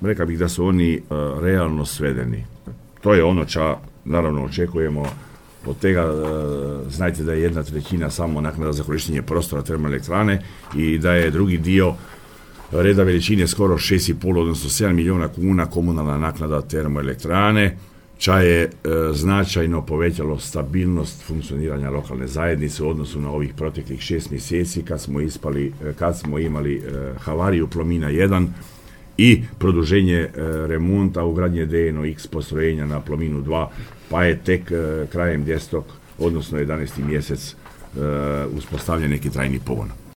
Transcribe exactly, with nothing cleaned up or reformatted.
rekao bih da su oni uh, realno svedeni. To je ono ča naravno očekujemo od tega. Uh, znajte da je jedna trećina samo naknada za korištenje prostora termoelektrane i da je drugi dio reda veličine skoro šest i pol, odnosno sedam milijuna kuna komunalna naknada termoelektrane, ča je e, značajno povećalo stabilnost funkcioniranja lokalne zajednice u odnosu na ovih proteklih šest mjeseci kad smo ispali, kad smo imali e, havariju Plomina jedan i produženje e, remonta ugradnje D N O X postrojenja na Plominu dva, pa je tek e, krajem desetog, odnosno jedanaesti mjesec e, uspostavljen neki trajni pogon.